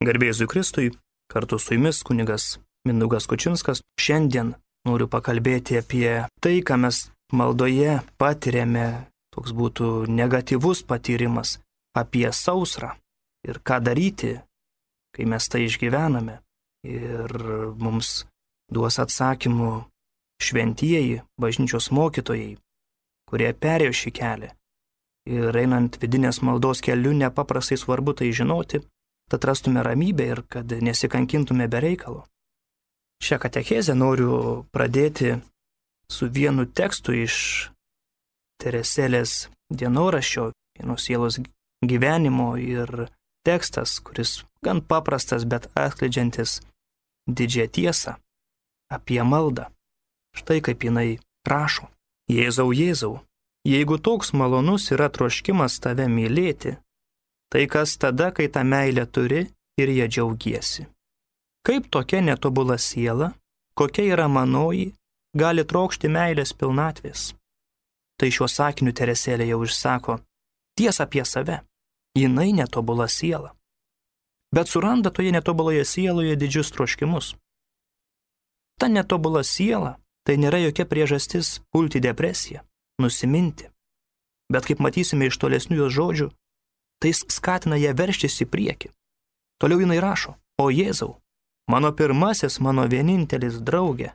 Garbė Jėzui Kristui, kartu su jumis kunigas Mindaugas Kučinskas. Šiandien noriu pakalbėti apie tai, ką mes maldoje patiriame, toks būtų negatyvus patyrimas, apie sausrą ir ką daryti, kai mes tai išgyvename. Ir mums duos atsakymų šventieji, bažnyčios mokytojai, kurie perėjo šį kelią. Ir einant vidinės maldos keliu nepaprastai svarbu tai žinoti, tad rastume ramybę ir kad nesikankintume be reikalo. Šią katechezę noriu pradėti su vienu tekstu iš Teresėlės dienoraščio, vienos sielos gyvenimo, ir tekstas, kuris gan paprastas, bet atskleidžiantis didžią tiesą apie maldą. Štai kaip jinai prašo. Jėzau, Jėzau, jeigu toks malonus yra troškimas tave mylėti, tai kas tada, kai tą meilę turi ir ją džiaugiesi? Kaip tokia netobula siela, kokia yra manoji, gali trokšti meilės pilnatvės? Tai šiuo sakiniu Teresėlė jau išsako tiesą apie save. Jinai netobula siela. Bet suranda toje netobuloje sieloje didžius troškimus. Ta netobula siela tai nėra jokia priežastis pulti depresiją, nusiminti. Bet kaip matysime iš tolesnių jos žodžių, tai skatina ją verštis į priekį. Toliau jinai rašo: O Jėzau, mano pirmasis, mano vienintelis draugė,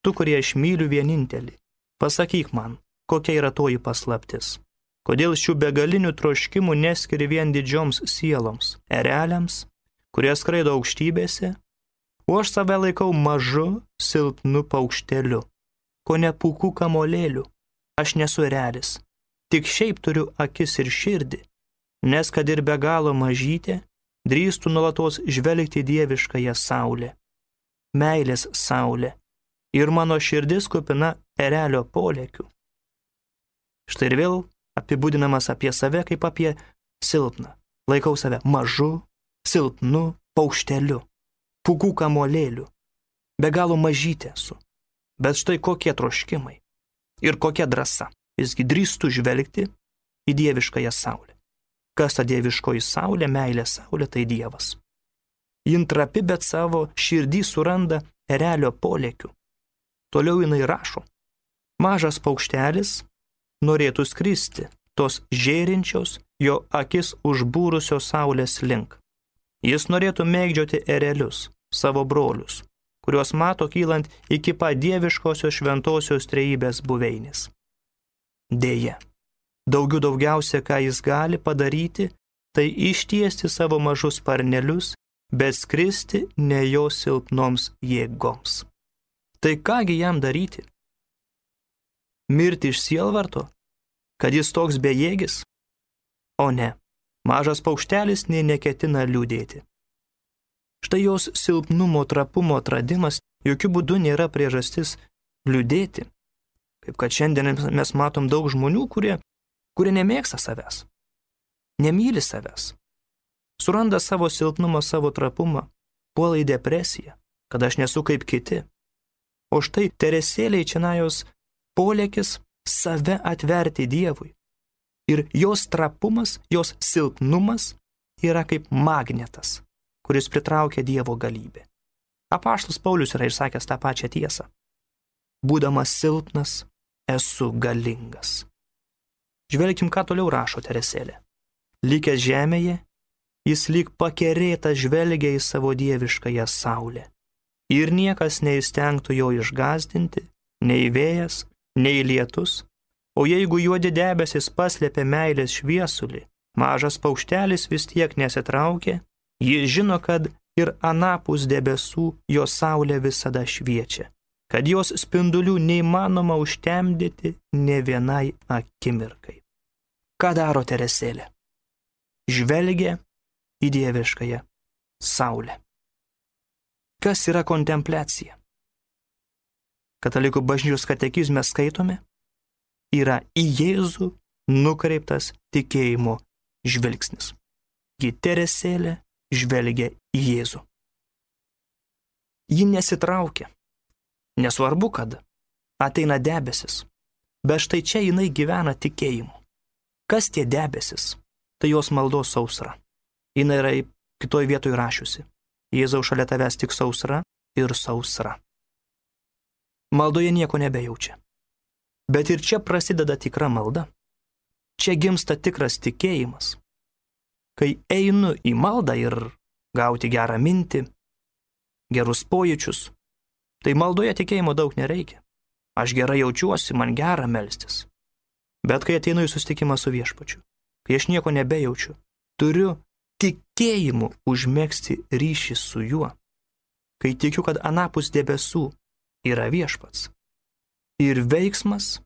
tu, kurie aš myliu vienintelį, pasakyk man, kokia yra toji paslaptis. Kodėl šių begalinių troškimų neskiri vien didžioms sieloms, ereliams, kurie skraido aukštybėse, o aš save laikau mažu, silpnu paukšteliu, ko ne pūkų kamolėliu. Aš nesu erelis, tik šiaip turiu akis ir širdį, nes kad ir be galo mažytė, drįstų nuolatos žvelgti dieviškąją saulę. Meilės saulė, ir mano širdis kupina erelio polėkių. Štai ir vėl apibūdinamas apie save kaip apie silpną. Laikau save mažu, silpnu paukšteliu, pūkų kamolėliu. Be galo mažytė esu. Bet štai kokie troškimai ir kokia drąsa. Visgi drįstu žvelgti į dieviškąją saulę. Kas ta dieviškoji saulė, meilė saulė, tai Dievas. Jin trapi, bet savo širdį suranda erelio polėkių. Toliau jinai rašo: mažas paukštelis norėtų skristi tos žėrinčios jo akis užbūrusios saulės link. Jis norėtų mėgdžioti erelius, savo brolius, kuriuos mato kylant iki pat dieviškosios šventosios trejybės buveinės. Deja, daugiausia, ką jis gali padaryti, tai ištiesti savo mažus sparnelius, bet skristi ne jo silpnoms jėgoms. Tai kągi jam daryti? Mirti iš sielvarto, kad jis toks bejėgis? O ne, mažas paukštelis nė neketina liūdėti. Štai jos silpnumo, trapumo atradimas jokių būdų nėra priežastis liūdėti. Kaip kad šiandien mes matom daug žmonių, kurie nemėgsta savęs, nemyli savęs, suranda savo silpnumą, savo trapumą, puola į depresiją, kad aš nesu kaip kiti. O štai Teresėlei čionajos polėkis save atverti Dievui. Ir jos trapumas, jos silpnumas yra kaip magnetas, kuris pritraukia Dievo galybę. Apaštalas Paulius yra išsakęs tą pačią tiesą. Būdamas silpnas, esu galingas. Žvelkim, ką toliau rašo Teresėlė. Likęs žemėje, jis lyg pakerėtas žvelgia į savo dieviškąją saulę. Ir niekas neįstengtų jo išgąsdinti, nei vėjas, nei lietus, o jeigu juodi debesis paslėpė meilės šviesulį, mažas paukštelis vis tiek nesitraukė, jis žino, kad ir anapus debesų jo saulė visada šviečia, kad jos spindulių neįmanoma užtemdyti ne vienai akimirkai. Ką daro Teresėlė? Žvelgia į dieviškąją saulę. Kas yra kontempliacija? Katalikų bažnyčios katekizme skaitome, yra į Jėzų nukreiptas tikėjimo žvilgsnis. Gi Teresėlė žvelgia į Jėzų. Ji nesitraukia. Nesvarbu, kad ateina debesis, bet štai čia jinai gyvena tikėjimu. Kas tie debesis? Tai jos maldos sausra. Jinai yra kitoj vietoj rašiusi: Jėzau, šalia tavęs tik sausra ir sausra. Maldoje nieko nebejaučia. Bet ir čia prasideda tikra malda. Čia gimsta tikras tikėjimas. Kai einu į maldą ir gauti gerą mintį, gerus pojūčius, tai maldoje tikėjimo daug nereikia. Aš gerai jaučiuosi, man gera melstis. Bet kai ateinu į susitikimą su viešpačiu, kai aš nieko nebejaučiu, turiu tikėjimu užmegzti ryšį su juo. Kai tikiu, kad anapus debesų yra viešpats. Ir veiksmas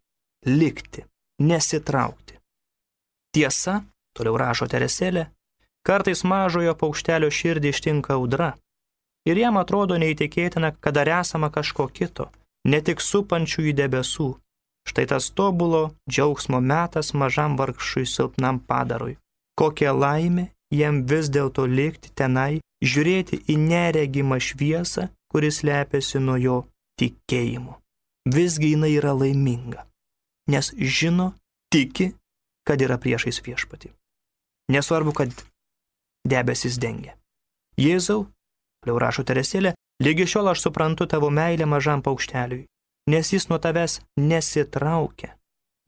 likti, nesitraukti. Tiesa, toliau rašo Teresėlė, kartais mažojo paukštelio širdį ištinka audra. Ir jam atrodo neįtikėtina, kad dar esama kažko kito, ne tik supančių į debesų. Štai tas tobulo džiaugsmo metas mažam vargšui silpnam padarui. Kokia laimė jam vis dėlto likti tenai, žiūrėti į neregimą šviesą, kuris lepiasi nuo jo tikėjimu. Visgi jinai yra laiminga, nes žino, tiki, kad yra priešais viešpatį. Nesvarbu, kad debesis dengia. Jėzau, toliau rašo Teresėlė, lygi šiol aš suprantu tavo meilę mažam paukšteliui, nes jis nuo tavęs nesitraukia.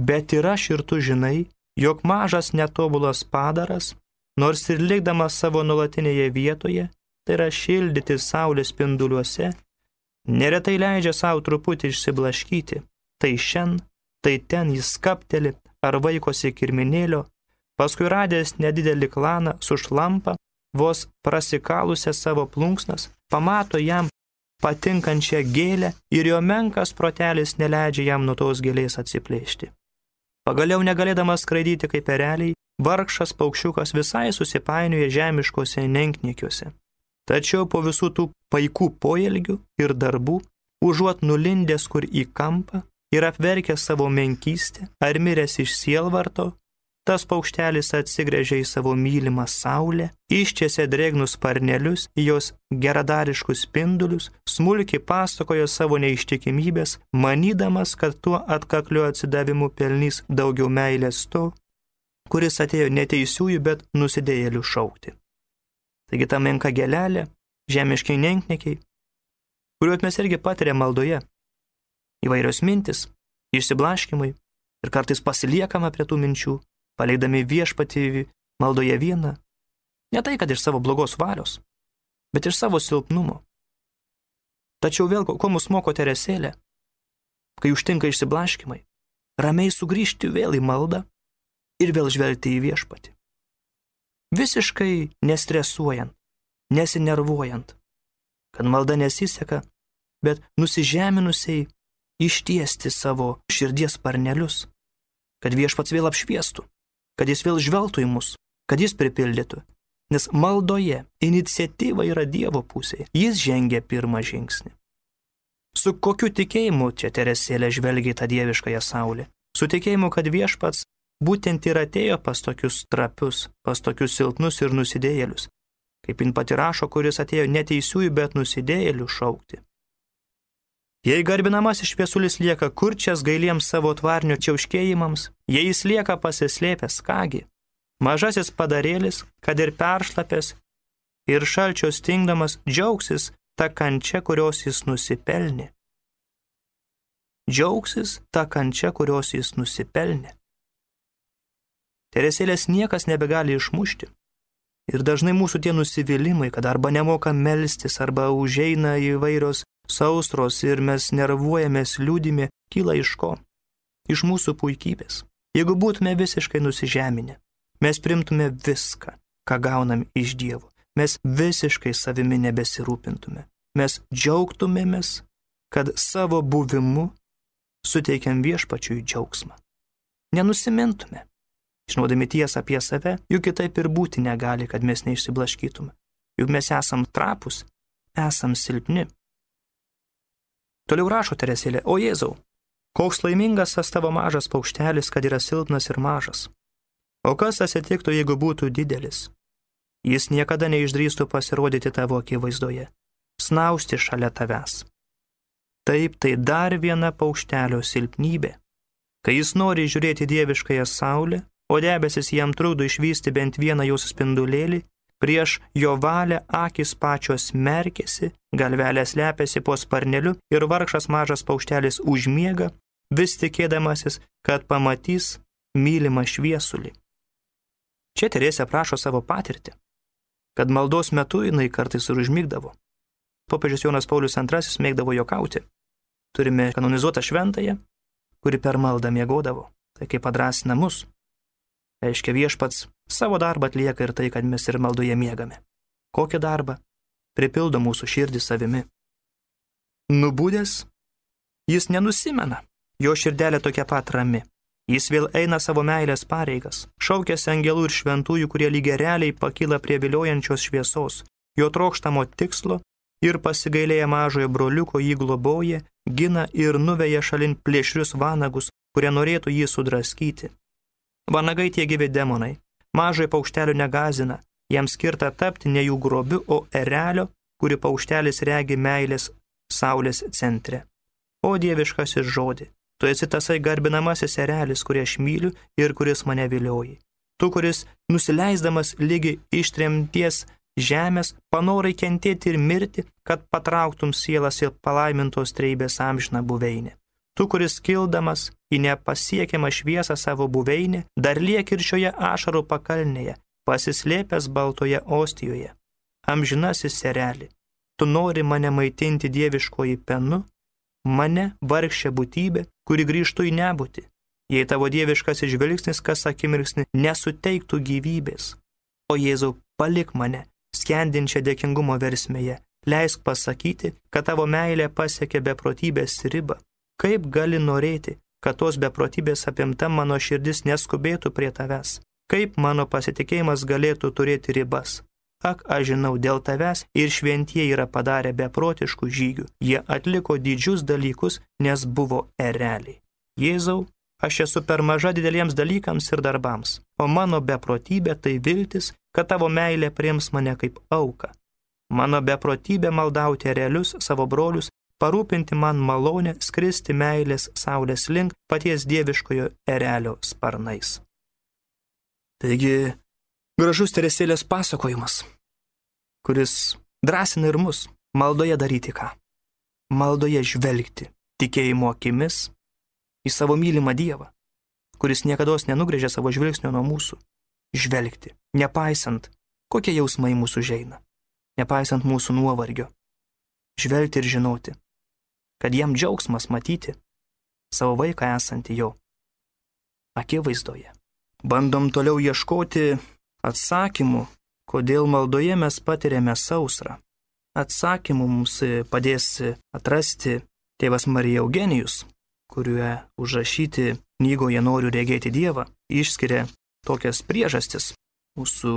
Bet ir aš ir tu žinai, jog mažas netobulas padaras, nors ir likdamas savo nuolatinėje vietoje, tai yra šildyti saulės spinduliuose, neretai leidžia savo truputį išsiblaškyti. Tai šen, tai ten jis skapteli ar vaikosi kirminėlio, paskui radęs nedidelį klaną sušlampa, vos prasikalusią savo plunksnas, pamato jam patinkančią gėlę ir jo menkas protelis neleidžia jam nuo tos gėlės atsiplėšti. Pagaliau negalėdamas skraidyti kaip ereliai, vargšas paukščiukas visai susipainioja žemiškose nenkniekiuose. Tačiau po visų tų paikų poelgių ir darbų, užuot nulindęs kur į kampą ir apverkęs savo menkystę ar miręs iš sielvarto, tas paukštelis atsigręžia į savo mylimą saulę, ištiesia drėgnus sparnelius į jos geradariškus spindulius, smulkiai pasakojo savo neištikimybės, manydamas, kad tuo atkakliu atsidavimu pelnys daugiau meilės to, kuris atėjo neteisiųjų, bet nusidėjėlių šaukti. Taigi ta menka gėlelė, žemiškiai nenkniekiai, kuriuos mes irgi patiriam maldoje, įvairios mintis, išsiblaškimai ir kartais pasiliekama prie tų minčių, paleidami viešpatį maldoje vieną, ne tai, kad iš savo blogos valios, bet iš savo silpnumo. Tačiau vėl, ko mus moko Teresėlė, kai užtinka išsiblaškimai, ramiai sugrįžti vėl į maldą ir vėl žvelgti į viešpatį. Visiškai nestresuojant, nesinervuojant, kad malda nesiseka, bet nusižeminusiai ištiesti savo širdies sparnelius, kad viešpats vėl apšviestų, kad jis vėl žvelgtų į mus, kad jis pripildytų. Nes maldoje iniciatyva yra Dievo pusėje, jis žengia pirmą žingsnį. Su kokiu tikėjimu čia Teresėlė žvelgia į tą dieviškąją saulę? Su tikėjimu, kad viešpats būtent ir atėjo pas tokius trapius, pas tokius silpnus ir nusidėjėlius, kaip jin pati rašo, kuris atėjo neteisiųjų, bet nusidėjėlių šaukti. Jei garbinamasis šviesulis lieka kurčias gailiems savo tvarnio čiauškėjimams, jei jis lieka pasislėpęs, kągi, mažasis padarėlis, kad ir peršlapęs ir šalčio stingdamas, džiaugsis ta kančia, kurios jis nusipelnė. Džiaugsis ta kančia, kurios jis nusipelnė. Teresėlės niekas nebegali išmušti. Ir dažnai mūsų tie nusivylimai, kad arba nemoka melstis, arba užeina įvairios sausros ir mes nervuojamės liūdimi, kyla iš ko? Iš mūsų puikybės. Jeigu būtume visiškai nusižeminę, mes primtume viską, ką gaunam iš Dievo. Mes visiškai savimi nebesirūpintume. Mes džiaugtumėmės, kad savo buvimu suteikiam viešpačiui džiaugsmą. Nenusimintume. Žinodami tiesą apie save, juk kitaip ir būti negali, kad mes neišsiblaškytume. Juk mes esam trapus, esam silpni. Toliau rašo Teresėlė, o Jėzau, koks laimingas tas tavo mažas paukštelis, kad yra silpnas ir mažas. O kas atsitiktų, jeigu būtų didelis? Jis niekada neišdrįstų pasirodyti tavo akivaizdoje, snausti šalia tavęs. Taip, tai dar viena paukštelio silpnybė. Kai jis nori žiūrėti dieviškąją saulę, o debesis jam trukdo išvysti bent vieną jos spindulėlį, Prieš jo valią akys pačios merkėsi, galvelės lepiasi po sparneliu ir vargšas mažas paukštelis užmiega, vis tikėdamasis, kad pamatys mylimą šviesulį. Čia Teresė aprašo savo patirtį, kad maldos metu jinai kartais ir užmigdavo. Popiežius Jonas Paulius II mėgdavo juokauti. Turime kanonizuotą šventąją, kuri per maldą miegodavo. Tai kaip padrąsina mus. Reiškia, viešpats savo darbą atlieka ir tai, kad mes ir maldoje miegame. Kokį darbą? Pripildo mūsų širdį savimi. Nubudęs, jis nenusimena. Jo širdelė tokia pat rami. Jis vėl eina savo meilės pareigas. Šaukėsi angelų ir šventųjų, kurie lygiai pakyla prie viliojančios šviesos. Jo trokštamo tikslo ir pasigailėję mažojo broliuko jį globoja, gina ir nuveja šalin plėšrius vanagus, kurie norėtų jį sudraskyti. Vanagai tie gyvi demonai. Mažojo paukštelio negazina. Jam skirta tapti ne jų grobiu, o erelio, kuri paukštelis regi meilės saulės centre. O dieviškasis žodį, tu esi tasai garbinamasis erelis, kurį aš myliu ir kuris mane vilioji. Tu, kuris nusileisdamas lygi ištremties žemės, panorai kentėti ir mirti, kad patrauktum sielas ir palaimintos treibės amžiną buveinę. Tu, kuris kildamas į nepasiekiamą šviesą savo buveinę, dar liek ir šioje ašarų pakalnėje, pasislėpęs baltoje ostijoje. Amžinasis ereli, tu nori mane maitinti dieviškoji penu, mane vargšė būtybė, kuri grįžtų į nebūtį, jei tavo dieviškasis žvilgsnis kas akimirksnį nesuteiktų gyvybės. O Jėzau, palik mane, skendinčią dėkingumo versmėje, leisk pasakyti, kad tavo meilė pasiekė beprotybės ribą. Kaip gali norėti, kad tos beprotybės apimta mano širdis neskubėtų prie tavęs? Kaip mano pasitikėjimas galėtų turėti ribas? Ak, aš žinau, dėl tavęs ir šventieji yra padarę beprotiškų žygių. Jie atliko didžius dalykus, nes buvo ereliai. Jėzau, aš esu per maža dideliems dalykams ir darbams, o mano beprotybė tai viltis, kad tavo meilė priims mane kaip auką. Mano beprotybė maldauti erelius, savo brolius, parūpinti man malonę skristi meilės saulės link paties dieviškojo erelio sparnais. Taigi, gražus Teresėlės pasakojimas, kuris drąsina ir mus maldoje daryti ką? Maldoje žvelgti tikėjimo akimis į savo mylimą Dievą, kuris niekados nenugrėžia savo žvilgsnio nuo mūsų. Žvelgti, nepaisant, kokie jausmai mūsų žeina, nepaisant mūsų nuovargio. Žvelgti ir žinoti, kad jam džiaugsmas matyti savo vaiką esantį jo akivaizdoje. Bandom toliau ieškoti atsakymų, kodėl maldoje mes patiriame sausrą. Atsakymų mums padės atrasti tėvas Marija Eugenijus, kuriuo užrašyti knygoje Noriu regėti Dievą, išskiria tokias priežastis mūsų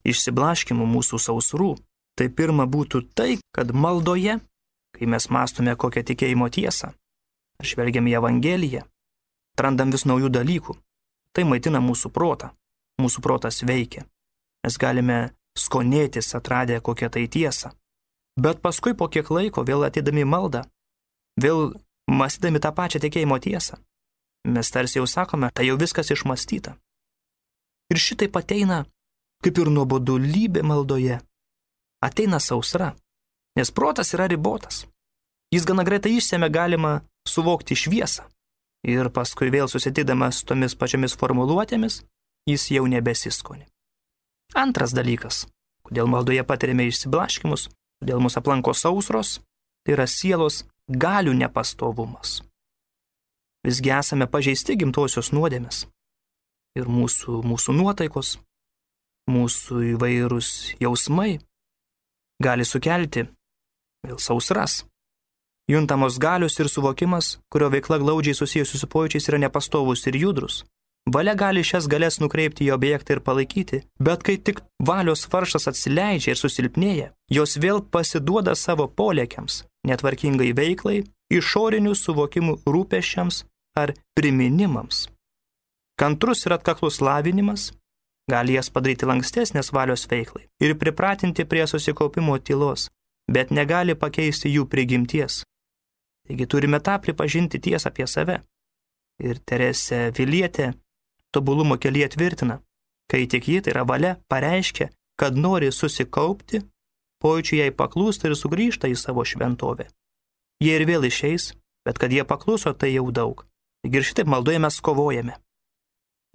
išsiblaškimų, mūsų sausrų. Tai pirma būtų tai, kad maldoje, kai mes mąstome kokią tikėjimo tiesą, žvelgiam į Evangeliją, atrandam vis naujų dalykų. Tai maitina mūsų protą. Mūsų protas veikia. Mes galime skonėtis atradę kokią tai tiesą. Bet paskui po kiek laiko vėl ateidami maldą, vėl mąstydami tą pačią tikėjimo tiesą, mes tarsi jau sakome, tai jau viskas išmąstyta. Ir šitaip ateina kaip ir nuobodulybė maldoje. Ateina sausra, nes protas yra ribotas. Jis gana greitai išsemia galima suvokti šviesą. Ir paskui vėl susitikdamas tomis pačiomis formuluotėmis, jis jau nebesiskoni. Antras dalykas, kodėl maldoje patiriame išsiblaškimus, kodėl mus aplanko sausros, tai yra sielos galių nepastovumas. Visgi esame pažeisti gimtosios nuodėmės. Ir mūsų nuotaikos, mūsų įvairūs jausmai gali sukelti vėl sausras. Juntamos galios ir suvokimas, kurio veikla glaudžiai susijusi su pojūčiais, yra nepastovus ir judrus. Valia gali šias galias nukreipti į objektą ir palaikyti, bet kai tik valios varžtas atsileidžia ir susilpnėja, jos vėl pasiduoda savo polėkiams, netvarkingai veiklai, išorinių suvokimų rūpesčiams ar priminimams. Kantrus ir atkaklus lavinimas gali jas padaryti lankstesnės valios veiklai ir pripratinti prie susikaupimo tylos, bet negali pakeisti jų prigimties. Taigi turime tą pripažinti tiesą apie save. Ir Teresė Vilietė tobulumo kelyje tvirtina, kai tik ji, tai yra valia, pareiškia, kad nori susikaupti, pojūčiai jai paklūsta ir sugrįžta į savo šventovę. Jie ir vėl išeis, bet kad jie pakluso, tai jau daug. Ir šitaip maldoje mes kovojame.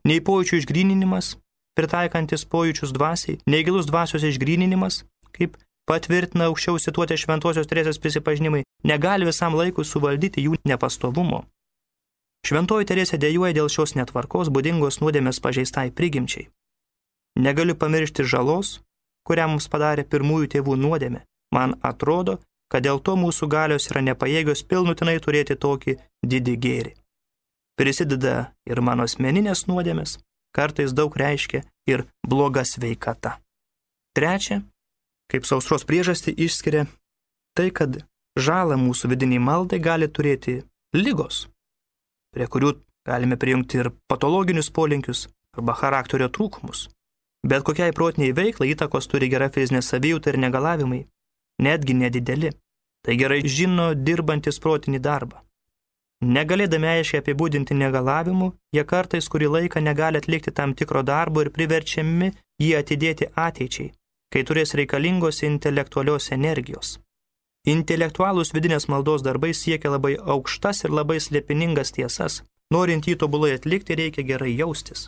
Nei pojūčių išgryninimas, pritaikantis pojūčius dvasiai, nei gilus dvasios išgryninimas, kaip patvirtina aukščiau cituoti Šventosios Teresės prisipažinimai, negali visam laikui suvaldyti jų nepastovumo. Šventoji Teresė dejuoja dėl šios netvarkos, būdingos nuodėmės pažeistai prigimčiai. Negaliu pamiršti žalos, kurią mums padarė pirmųjų tėvų nuodėmė. Man atrodo, kad dėl to mūsų galios yra nepajėgios pilnutinai turėti tokį didį gėrį. Prisideda ir mano asmeninės nuodėmės, kartais daug reiškia ir bloga sveikata. Trečia, kaip sausros priežastį išskiria tai, kad žalą mūsų vidiniai maldai gali turėti ligos, prie kurių galime prijungti ir patologinius polinkius arba charakterio trūkumus. Bet kokiai protiniai veiklai įtakos turi gera fizinė savijauta ir negalavimai, netgi nedideli. Tai gerai žino dirbantis protinį darbą. Negalėdami aiškiai apibūdinti negalavimų, jie kartais kurį laiką negali atlikti tam tikro darbo ir priverčiami jį atidėti ateičiai, kai turės reikalingos intelektualios energijos. Intelektualūs vidinės maldos darbai siekia labai aukštas ir labai slėpiningas tiesas. Norint jį tobulai atlikti, reikia gerai jaustis.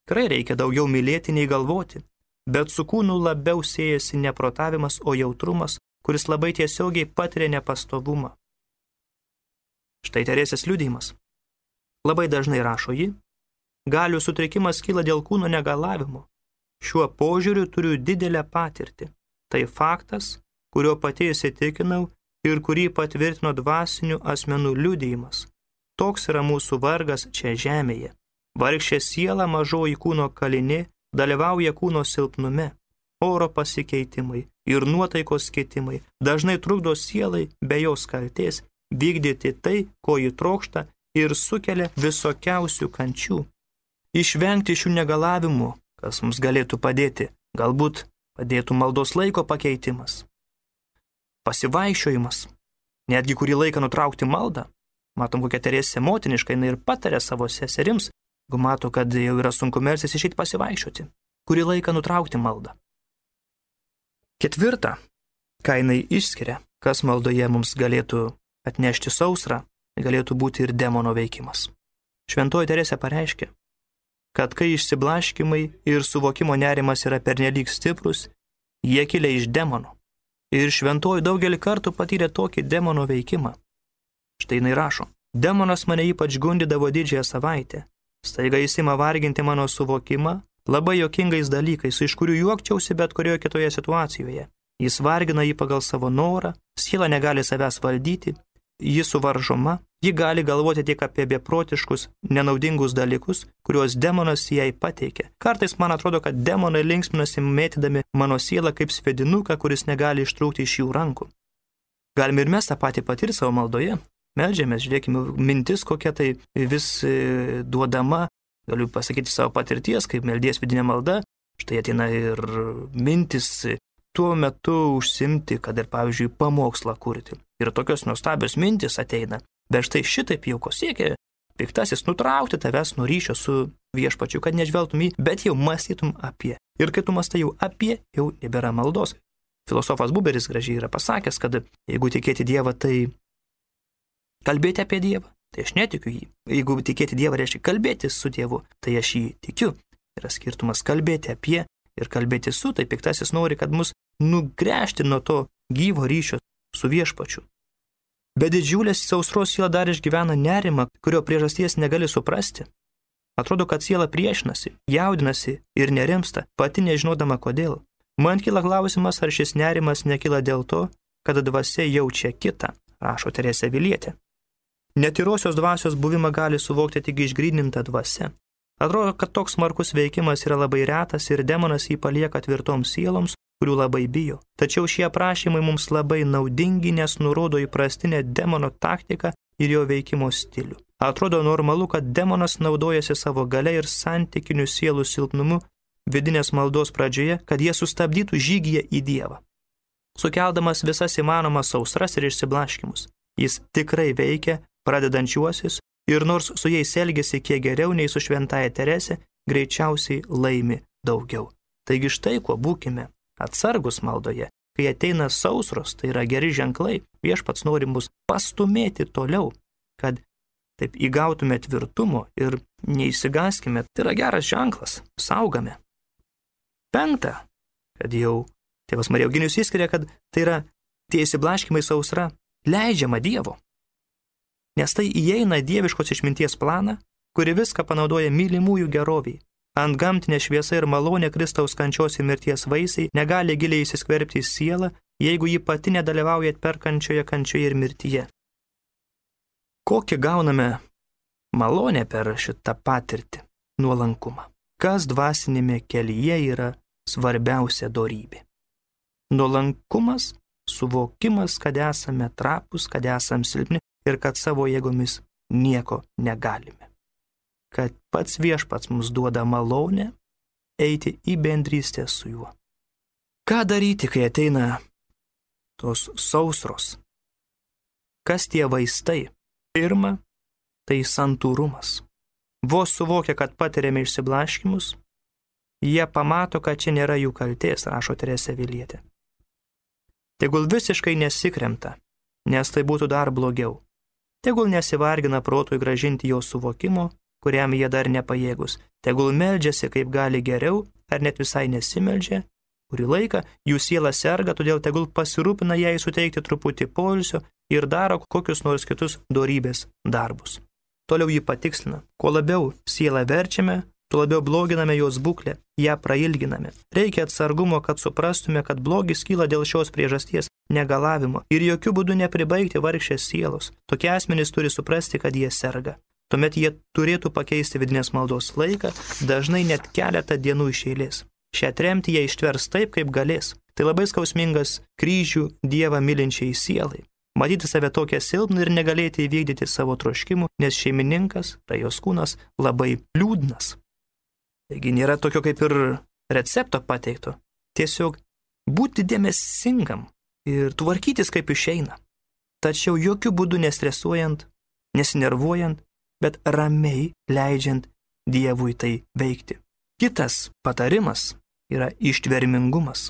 Tikrai reikia daugiau mylėti nei galvoti, bet su kūnu labiau siejasi ne protavimas, o jautrumas, kuris labai tiesiogiai patiria nepastovumą. Štai Teresės liudijimas. Labai dažnai rašo ji, galių sutrikimas kyla dėl kūno negalavimo. Šiuo požiūriu turiu didelę patirtį. Tai faktas, kurio pati įsitikinau ir kurį patvirtino dvasinių asmenų liudijimas. Toks yra mūsų vargas čia žemėje. Vargšė siela, mažoji kūno kalinė, dalyvauja kūno silpnume. Oro pasikeitimai ir nuotaikos keitimai dažnai trukdo sielai be jos kaltės vykdyti tai, ko ji trokšta ir sukelia visokiausių kančių. Išvengti šių negalavimų, kas mums galėtų padėti, galbūt padėtų maldos laiko pakeitimas. Pasivaikščiojimas, netgi kurį laiką nutraukti maldą. Matom, kokia Teresė motiniška, jinai ir patarė savo seserims, jeigu mato, kad jau yra sunku melstis, išeiti pasivaikščioti, kurį laiką nutraukti maldą. Ketvirta, ką jinai išskiria, kas maldoje mums galėtų atnešti sausrą, galėtų būti ir demono veikimas. Šventoji Teresė pareiškė, kad kai išsiblaškimai ir suvokimo nerimas yra pernelyg stiprus, jie kilia iš demono. Ir šventoji daugelį kartų patyrė tokį demono veikimą. Štai jinai rašo, demonas mane ypač gundydavo didžiąją savaitę. Staiga jis ima varginti mano suvokimą labai jokingais dalykais, iš kurių juokčiausi bet kurioje kitoje situacijoje. Jis vargina jį pagal savo norą, siela negali savęs valdyti, ji suvaržoma, ji gali galvoti tik apie beprotiškus, nenaudingus dalykus, kuriuos demonas jai pateikia. Kartais man atrodo, kad demonai linksminasi mėtydami mano sielą kaip svedinuką, kuris negali ištrūkti iš jų rankų. Galime ir mes tą patį patirti savo maldoje. Meldžiamės, žiūrėkime, mintis kokia tai vis duodama, galiu pasakyti savo patirties, kaip meldies vidinė malda, štai ateina ir mintis tuo metu užsimti, kad ir, pavyzdžiui, pamokslą kurti. Ir tokios nuostabios mintis ateina, bet štai šitaip jau ko siekia piktasis nutraukti tavęs nuo ryšio su viešpačiu, kad nežvelgtum jį, bet jau mąstytum apie. Ir kai tu mąstai jau apie, jau nebėra maldos. Filosofas Buberis gražiai yra pasakęs, kad jeigu tikėti Dievą, tai kalbėti apie Dievą, tai aš netikiu jį. Jeigu tikėti Dievą reiškia kalbėti su Dievu, tai aš jį tikiu. Yra skirtumas kalbėti apie ir kalbėti su, tai piktasis nori, kad mus nugręžti nuo to gyvo ryšio su viešpačiu. Be didžiulės sausros siela dar išgyvena nerimą, kurio priežasties negali suprasti. Atrodo, kad siela priešinasi, jaudinasi ir nerimsta, pati nežinodama kodėl. Man kyla klausimas, ar šis nerimas nekyla dėl to, kad dvasia jaučia kitą, rašo Teresė Avilietė. Netyrosios dvasios buvimą gali suvokti tik išgryninta dvasia. Atrodo, kad toks smarkus veikimas yra labai retas ir demonas jį palieka tvirtoms sieloms, kurių labai bijo. Tačiau šie aprašymai mums labai naudingi, nes nurodo įprastinę demono taktiką ir jo veikimo stilių. Atrodo normalu, kad demonas naudojasi savo galia ir santykinių sielų silpnumu vidinės maldos pradžioje, kad jie sustabdytų žygyje į Dievą, sukeldamas visas įmanomas sausras ir išsiblaškimus. Jis tikrai veikia pradedančiuosius ir nors su jais elgėsi kiek geriau nei su šventaja Teresė, greičiausiai laimi daugiau. Taigi štai kuo būkime atsargus maldoje. Kai ateina sausros, tai yra geri ženklai, Viešpats nori mus pastumėti toliau, kad taip įgautume tvirtumo ir neįsigaskime. Tai yra geras ženklas, saugame. 5, kad jau tėvas Marija Eugenijus įskiria, kad tai yra tie įsiblaškimai sausra leidžiama Dievo. Nes tai įeina dieviškos išminties planą, kuri viską panaudoja mylimųjų geroviai. Antgamtinė šviesa ir malonė Kristaus kančios ir mirties vaisiai negali giliai įsiskverbti į sielą, jeigu ji pati nedalyvauja atperkančioje kančioje ir mirtyje. Kokį gauname malonę per šitą patirtį? Nuolankumą. Kas dvasinėme kelyje yra svarbiausia dorybė? Nuolankumas, suvokimas, kad esame trapus, kad esame silpni ir kad savo jėgomis nieko negalime. Kad pats Viešpats mums duoda malonę eiti į bendrystę su juo. Ką daryti, kai ateina tos sausros? Kas tie vaistai? Pirma, tai santūrumas. Vos suvokia, kad patiriame išsiblaškimus, jie pamato, kad čia nėra jų kaltės, rašo Teresė Avilietė. Tegul visiškai nesikremta, nes tai būtų dar blogiau. Tegul nesivargina protui gražinti jo suvokimo, kuriam jie dar nepajėgus. Tegul meldžiasi kaip gali geriau, ar net visai nesimeldžia. Kurį laiką jų siela serga, todėl tegul pasirūpina jai suteikti truputį poilsio ir daro kokius nors kitus dorybės darbus. Toliau jį patikslina. Kuo labiau sielą verčiame, tuo labiau bloginame jos būklę, ją prailginame. Reikia atsargumo, kad suprastume, kad blogis kyla dėl šios priežasties, negalavimo ir jokių būdų nepribaigti vargšės sielos. Tokie asmenys turi suprasti, kad jie serga. Tuomet jie turėtų pakeisti vidinės maldos laiką, dažnai net keletą dienų iš eilės. Šią tremtį jie ištvers taip, kaip galės. Tai labai skausmingas kryžių Dievą mylinčiai sielai. Matyti save tokią silpną ir negalėti įvykdyti savo troškimų, nes šeimininkas, tai jos kūnas, labai liūdnas. Taigi nėra tokio kaip ir recepto pateikto. Tiesiog būti dėmesingam ir tvarkytis kaip išeina. Tačiau jokių būdų nestresuojant, nesinervuojant, bet ramiai leidžiant Dievui tai veikti. Kitas patarimas yra ištvermingumas.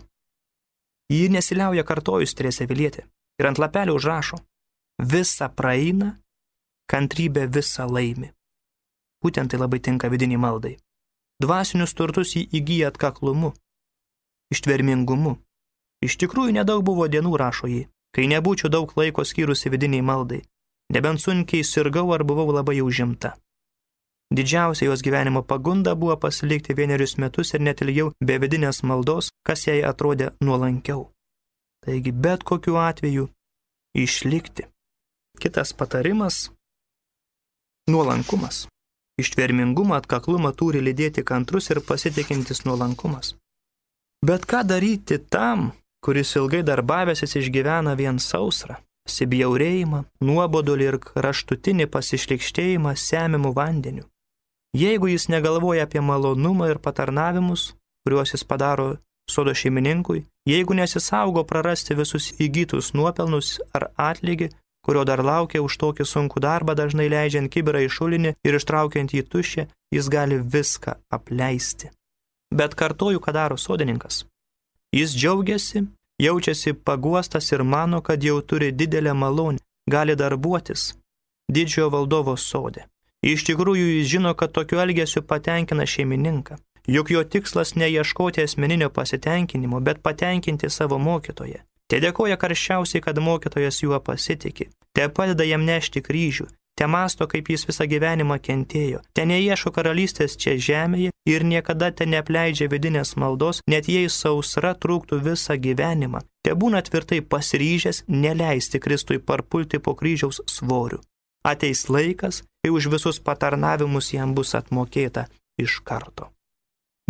Jį nesiliauja kartojus Teresė Avilietė ir ant lapelio užrašo: visa praeina, kantrybė visa laimi. Būtent tai labai tinka vidiniai maldai. Dvasinius turtus jį įgyja atkaklumu, ištvermingumu. Iš tikrųjų nedaug buvo dienų, rašo jį, kai nebūčiau daug laiko skyrusi vidiniai maldai. Nebent sunkiai sirgau ar buvau labai užimta. Didžiausia jos gyvenimo pagunda buvo pasilikti 1 metus ir net ilgiau be vidinės maldos, kas jai atrodė nuolankiau. Taigi bet kokiu atveju išlikti. Kitas patarimas – nuolankumas. Ištvermingumą, atkaklumą turi lydėti kantrus ir pasitikintis nuolankumas. Bet ką daryti tam, kuris ilgai darbavęsis išgyvena vien sausrą? Pasibjaurėjimą, nuobodulį ir kraštutinį pasišlikštėjimą semiamų vandeniu. Jeigu jis negalvoja apie malonumą ir patarnavimus, kuriuos jis padaro sodo šeimininkui, jeigu nesisaugo prarasti visus įgytus nuopelnus ar atlygį, kurio dar laukia už tokį sunkų darbą, dažnai leidžiant kibirą į šulinį ir ištraukiant jį tuščią, jis gali viską apleisti. Bet kartoju, ką daro sodininkas. Jis džiaugiasi, jaučiasi paguostas ir mano, kad jau turi didelę malonę, gali darbuotis didžiojo valdovo sode. Iš tikrųjų jis žino, kad tokiu elgesiu patenkina šeimininką. Juk jo tikslas ne ieškoti asmeninio pasitenkinimo, bet patenkinti savo mokytoją. Te dėkoja karščiausiai, kad mokytojas juo pasitiki. Te padeda jam nešti kryžių. Te mąsto, kaip jis visą gyvenimą kentėjo. Te neieško karalystės čia žemėje ir niekada te neapleidžia vidinės maldos, net jei sausra trūktų visą gyvenimą. Te būna tvirtai pasiryžęs neleisti Kristui parpulti po kryžiaus svoriu. Ateis laikas, kai už visus patarnavimus jam bus atmokėta iš karto.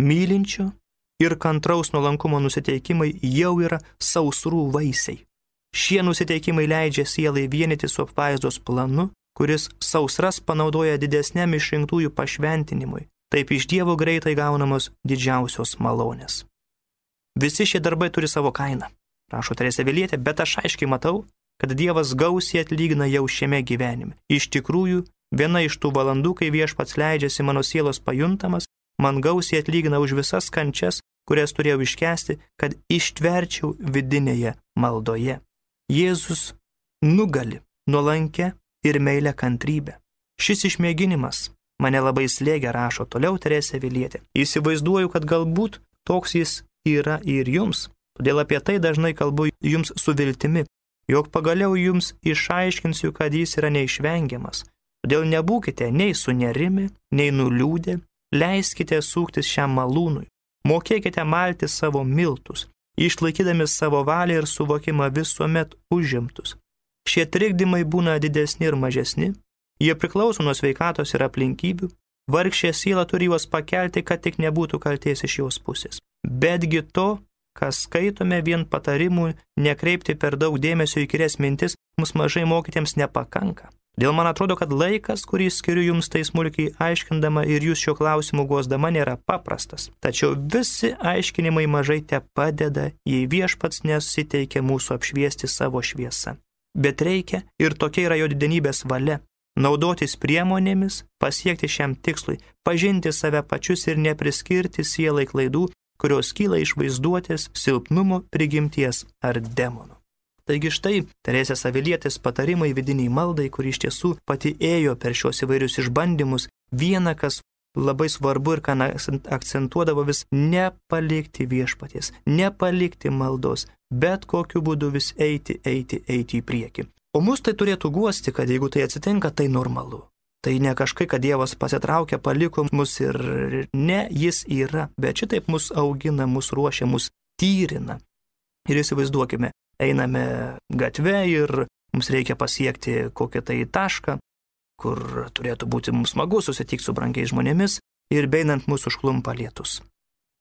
Mylinčio ir kantraus nuolankumo nusiteikimai jau yra sausrų vaisiai. Šie nusiteikimai leidžia sielai vienyti su apvaizdos planu, kuris sausras panaudoja didesniam išrinktųjų pašventinimui. Taip iš Dievo greitai gaunamos didžiausios malonės. Visi šie darbai turi savo kainą, rašo Teresė Avilietė, bet aš aiškiai matau, kad Dievas gausiai atlygina jau šiame gyvenime. Iš tikrųjų, viena iš tų valandų, kai Viešpats leidžiasi mano sielos pajuntamas, man gausiai atlygina už visas kančias, kurias turėjau iškęsti, kad ištverčiau vidinėje maldoje. Jėzus nugali nuolankę ir meilę kantrybę. Šis išmėginimas mane labai slėgia, rašo toliau Teresė Avilietė. Įsivaizduoju, kad galbūt toks jis yra ir jums, todėl apie tai dažnai kalbu jums su viltimi, jog pagaliau jums išaiškinsiu, kad jis yra neišvengiamas. Todėl nebūkite nei sunerimi, nei nuliūdę, leiskite suktis šiam malūnui, mokėkite malti savo miltus, išlaikydami savo valią ir suvokimą visuomet užimtus. Šie trikdymai būna didesni ir mažesni, jie priklauso nuo sveikatos ir aplinkybių, vargšė siela turi juos pakelti, kad tik nebūtų kaltės iš jos pusės. Betgi to, kas skaitome vien patarimų, nekreipti per daug dėmesio į įkyrias mintis, mums mažai mokytiems nepakanka. Dėl man atrodo, kad laikas, kurį skiriu jums tai smulkiai aiškindama ir jūs šio klausimu guosdama, nėra paprastas. Tačiau visi aiškinimai mažai te padeda, jei viešpats nesiteikia mūsų apšviesti savo šviesą. Bet reikia, ir tokia yra jo didenybės valia, naudotis priemonėmis, pasiekti šiam tikslui, pažinti save pačius ir nepriskirti sielai klaidų, kurios kyla iš vaizduotės, silpnumo, prigimties ar demonų. Taigi štai Teresės Avilietės patarimai vidiniai maldai, kuri iš tiesų pati ėjo per šios įvairius išbandymus, viena, kas labai svarbu ir ką akcentuodavo vis, nepalikti viešpaties, nepalikti maldos, bet kokiu būdu vis eiti į priekį. O mus tai turėtų guosti, kad jeigu tai atsitinka, tai normalu. Tai ne kažkai, kad Dievas pasitraukė, paliko mus ir ne, jis yra, bet šitaip mus augina, mus ruošia, mus tyrina. Ir įsivaizduokime, einame gatve ir mums reikia pasiekti kokią tai tašką, kur turėtų būti mums smagu susitikti su brangiais žmonėmis ir beinant mūsų užklumpa lietus.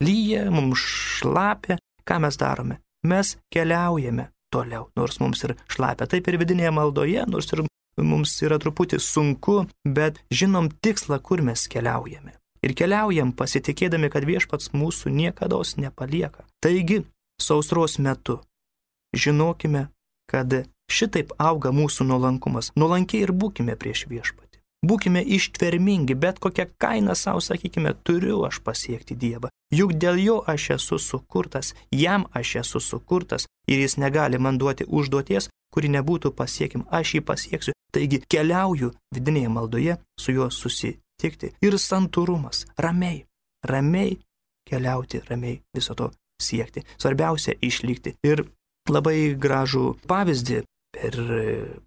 Lyja, mums šlapia, ką mes darome? Mes keliaujame toliau, nors mums ir šlapia. Taip ir vidinėje maldoje, nors ir mums yra truputį sunku, bet žinom tikslą, kur mes keliaujame. Ir keliaujam pasitikėdami, kad viešpats mūsų niekados nepalieka. Taigi, sausros metu žinokime, kad šitaip auga mūsų nuolankumas. Nuolankiai ir būkime prieš viešpatį. Būkime ištvermingi, bet kokią kainą savo sakykime, turiu aš pasiekti Dievą. Juk dėl jo aš esu sukurtas, jam aš esu sukurtas ir jis negali man duoti užduoties, kuri nebūtų pasiekim. Aš jį pasieksiu. Taigi keliauju vidinėje maldoje su juo susitikti. Ir santūrumas, ramiai keliauti, ramiai viso to siekti. Svarbiausia išlikti. Ir labai gražų pavyzdį per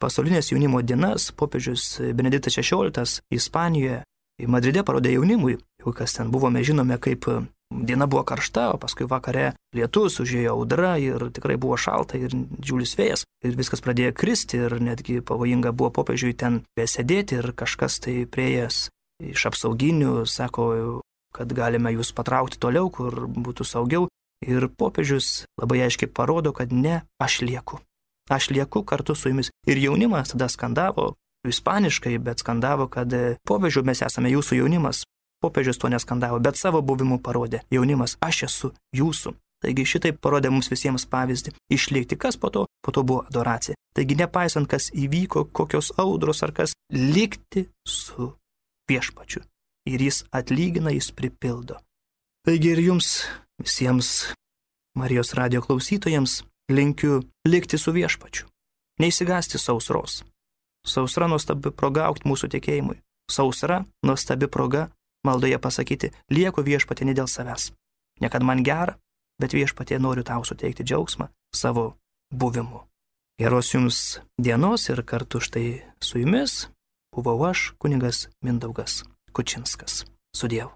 pasaulinės jaunimo dienas popiežius Benediktas XVI Ispanijoje, Madride parodė jaunimui, jau kas ten buvome, žinome, kaip diena buvo karšta, o paskui vakare lietus, užėjo audra ir tikrai buvo šalta ir didžiulis vėjas ir viskas pradėjo kristi ir netgi pavojinga buvo popiežiui ten besėdėti ir kažkas tai prieėjęs iš apsauginių sako, kad galime jūs patraukti toliau, kur būtų saugiau. Ir popiežius labai aiškiai parodo, kad ne, aš lieku kartu su jumis. Ir jaunimas tada skandavo, ispaniškai, bet skandavo, kad popiežių mes esame jūsų jaunimas. Popiežius to neskandavo, bet savo buvimu parodė, jaunimas, aš esu jūsų. Taigi šitaip parodė mums visiems pavyzdį. Išlikti, kas po to buvo adoracija. Taigi nepaisant, kas įvyko, kokios audros ar kas, likti su viešpačiu. Ir jis atlygina, jis pripildo. Taigi ir jums visiems Marijos radijo klausytojams linkiu likti su viešpačiu. Neišsigąsti sausros. Sausra nuostabi proga augti mūsų tikėjimui. Sausra nuostabi proga maldoje pasakyti, lieku viešpatie ne dėl savęs. Ne kad man gera, bet viešpatie noriu tau suteikti džiaugsmą savo buvimu. Geros jums dienos ir kartu štai su jumis buvau aš, kunigas Mindaugas Kučinskas. Su Dievu.